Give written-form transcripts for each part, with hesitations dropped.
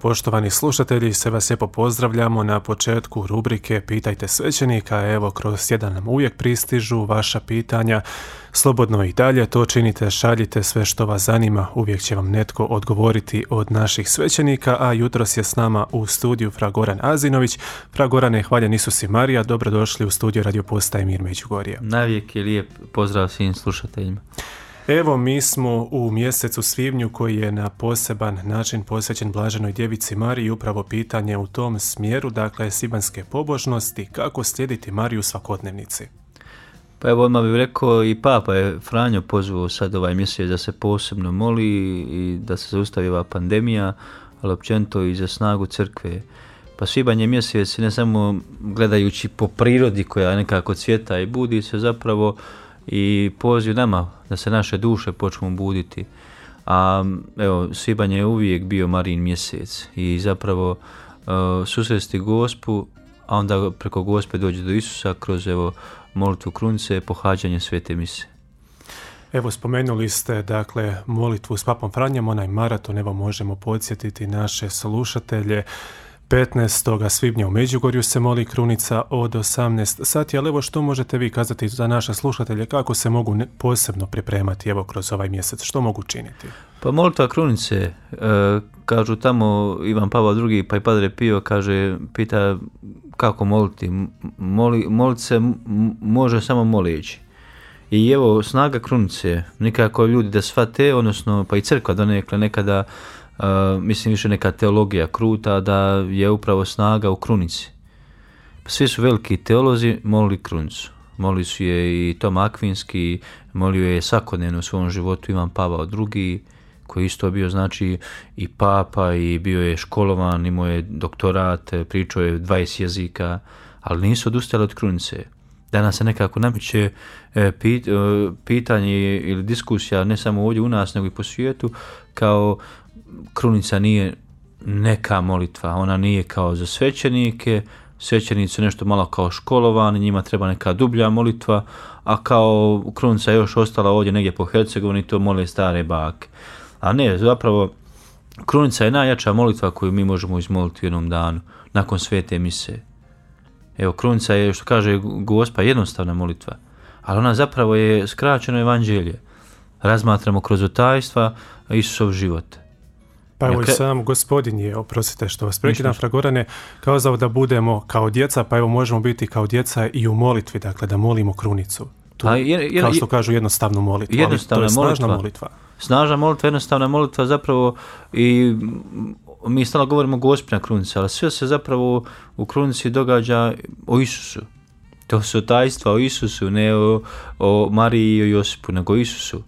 poštovani slušatelji, sve vas lijepo pozdravljamo na početku rubrike Pitajte svećenika. Evo, kroz jedan nam uvijek pristižu vaša pitanja. Slobodno i dalje to činite, šaljite sve što vas zanima, uvijek će vam netko odgovoriti od naših svećenika, a jutros je s nama u studiju fra Goran Azinović. Fra Gorane, hvaljen Isus i Marija, dobrodošli u studiju Radio Postaje Mir Međugorje. Navijek je lijep pozdrav svim slušateljima. Evo, mi smo u mjesecu svibnju koji je na poseban način posvećen Blaženoj Djevici Mariji, upravo pitanje u tom smjeru, dakle svibanjske pobožnosti, kako slijediti Mariju u svakodnevnici. Pa evo, odmah bih rekao, i Papa je Franjo pozvao sad ovaj mjesec da se posebno moli i da se zaustavi ova pandemija, ali općenito i za snagu crkve. Pa svibanj je mjesec ne samo gledajući po prirodi koja nekako cvjeta i budi se zapravo i poziv nama da se naše duše počnu buditi. A evo, svibanj je uvijek bio Marijin mjesec i zapravo susresti Gospu, a onda preko Gospe dođe do Isusa kroz molitvu krunice, pohađanje svete mise. Evo, spomenuli ste dakle molitvu s Papom Franjom, onaj maraton, evo možemo podsjetiti naše slušatelje. 15. svibnja u Međugorju se moli krunica od 18 sati, ali evo što možete vi kazati za naše slušatelje, kako se mogu posebno pripremati evo kroz ovaj mjesec, što mogu činiti? Pa molitva krunice, kažu tamo Ivan Pavao II pa i Padre Pio kaže, pita kako moliti, molit se može samo moleći. I evo snaga krunice, nikako ljudi da shvate, odnosno pa i crkva donekle nekada, mislim više neka teologija kruta, da je upravo snaga u krunici. Svi su veliki teolozi molili krunicu. Molili su je i Toma Akvinski, molio je svakodnevno u svom životu Ivan Pavao II, koji isto bio znači i papa i bio je školovan, imao je doktorat, pričao je 20 jezika, ali nisu odustali od krunice. Danas se nekako nameće pitanje ili diskusija ne samo ovdje u nas, nego i po svijetu, kao krunica nije neka molitva, ona nije kao za svećenike, svećenici su nešto malo kao školovani, njima treba neka dublja molitva, a kao krunica je još ostala ovdje negdje po Hercegovini, to mole stare bake. A ne, zapravo krunica je najjača molitva koju mi možemo izmoliti u jednom danu, nakon svete mise. Evo, krunica je, što kaže Gospa, jednostavna molitva, ali ona zapravo je skraćeno evanđelje. Razmatramo kroz otajstva Isusov život. Pa evo i sam Gospodin je, oprostite što vas prekidam, fra Gorane, kazao da budemo kao djeca, pa evo možemo biti kao djeca i u molitvi, dakle da molimo krunicu. Tu, kao što kažu, jednostavnu molitvu, jednostavna ali to je snažna molitva. Snažna molitva, jednostavna molitva zapravo, i mi stalno govorimo Gospina krunica, ali sve se zapravo u krunici događa o Isusu. To su tajstva o Isusu, ne o Mariji i o Josipu, nego o Isusu.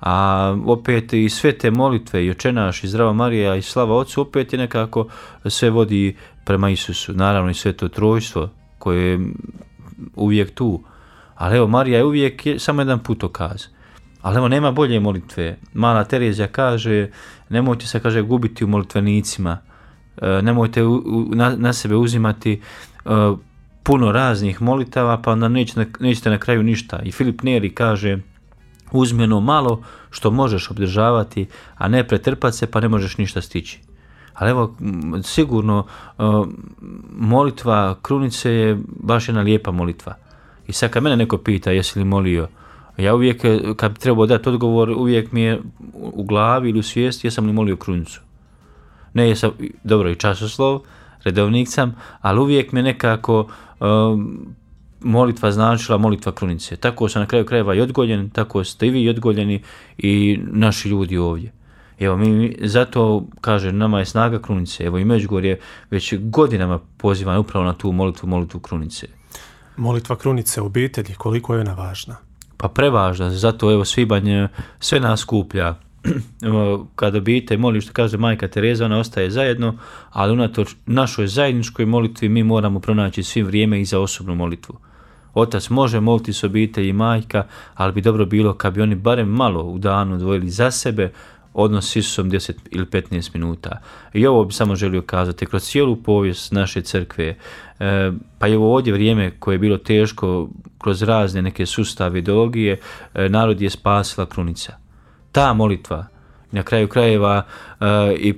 A opet i sve te molitve, i Oče naš, i Zdrava Marija, i Slava Otcu, opet je nekako sve vodi prema Isusu. Naravno i Sveto Trojstvo koje je uvijek tu. Ali evo, Marija je uvijek samo jedan putokaz. Ali evo, nema bolje molitve. Mala Terezija kaže, nemojte se, kaže, gubiti u molitvenicima. Nemojte na sebe uzimati puno raznih molitava, pa onda nećete na kraju ništa. I Filip Neri kaže, uzmi ono malo što možeš obdržavati, a ne pretrpati se pa ne možeš ništa stići. Ali evo, sigurno molitva krunice je baš jedna lijepa molitva. I sad kad mene neko pita jesi li molio, ja uvijek, kad bi trebao dati odgovor, uvijek mi je u glavi ili u svijesti jesam li molio krunicu. Ne jesam, dobro, i časoslov, redovnik sam, ali uvijek mi je nekako molitva značila molitva krunice. Tako sam na kraju krajeva i odgoljen, tako ste i vi odgoljeni i naši ljudi ovdje. Evo, mi zato, kaže, nama je snaga krunice. Evo, i Međugorje već godinama poziva upravo na tu molitvu krunice. Molitva krunice u obitelji, koliko je ona važna? Pa prevažna, zato evo svibanj sve nas skuplja. Kada obitelj moli, što kaže majka Tereza, ona ostaje zajedno, ali unatoč našoj zajedničkoj molitvi mi moramo pronaći svim vrijeme i za osobnu molitvu. Otac može moliti s obitelji i majka, ali bi dobro bilo kad bi oni barem malo u danu odvojili za sebe, odnos s Isusom 10 ili 15 minuta. I ovo bi samo želio kazati, kroz cijelu povijest naše crkve, pa i ovo ovdje vrijeme koje je bilo teško, kroz razne neke sustave, ideologije, narod je spasila krunica. Ta molitva Na kraju krajeva i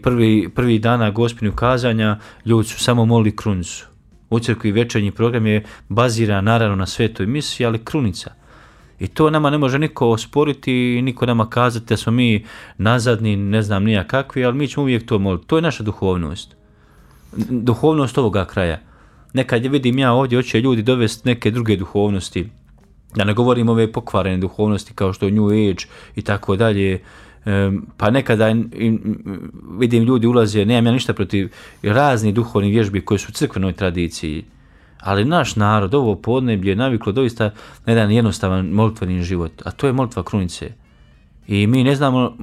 prvi dana Gospinju kazanja ljudi su samo molili krunicu. U crkvi večernji program je baziran naravno na svetoj misi, ali krunica. I to nama ne može niko osporiti, niko nama kazati da smo mi nazadni, ne znam nija kakvi, ali mi ćemo uvijek to moliti. To je naša duhovnost. Duhovnost ovoga kraja. Nekad vidim ja ovdje, hoće ljudi dovesti neke druge duhovnosti. Da ne govorim ove pokvarene duhovnosti kao što je New Age i tako dalje. Pa nekada vidim ljudi ulaze, nemam ja ništa protiv raznih duhovnih vježbi koje su u crkvenoj tradiciji. Ali naš narod, ovo podneblje je naviklo doista na jedan jednostavan molitveni život, a to je molitva krunice. I mi ne znamo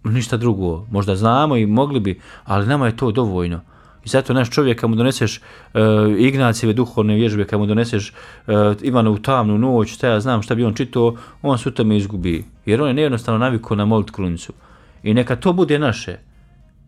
ništa drugo, možda znamo i mogli bi, ali nama je to dovoljno. I zato naš čovjek, kad mu doneseš Ignacijeve duhovne vježbe, kad mu doneseš Ivanovu tamnu noć, šta ja znam šta bi on čitao, on se u tome izgubi. Jer on je nejednostavno navikao na molit krunicu. I neka to bude naše.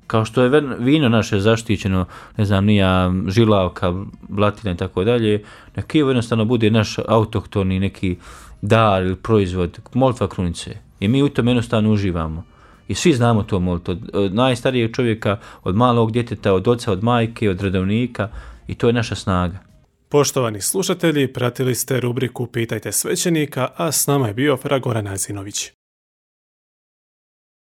Kao što je vino naše zaštićeno, ne znam, nija žilavka, blatina i tako dalje, neka jednostavno bude naš autohtoni neki dar ili proizvod, molitva krunice. I mi u tome jednostavno uživamo. I svi znamo to moliti, od najstarijeg čovjeka, od malog djeteta, od oca, od majke, od redovnika, i to je naša snaga. Poštovani slušatelji, pratili ste rubriku Pitajte svećenika, a s nama je bio fra Goran Azinović.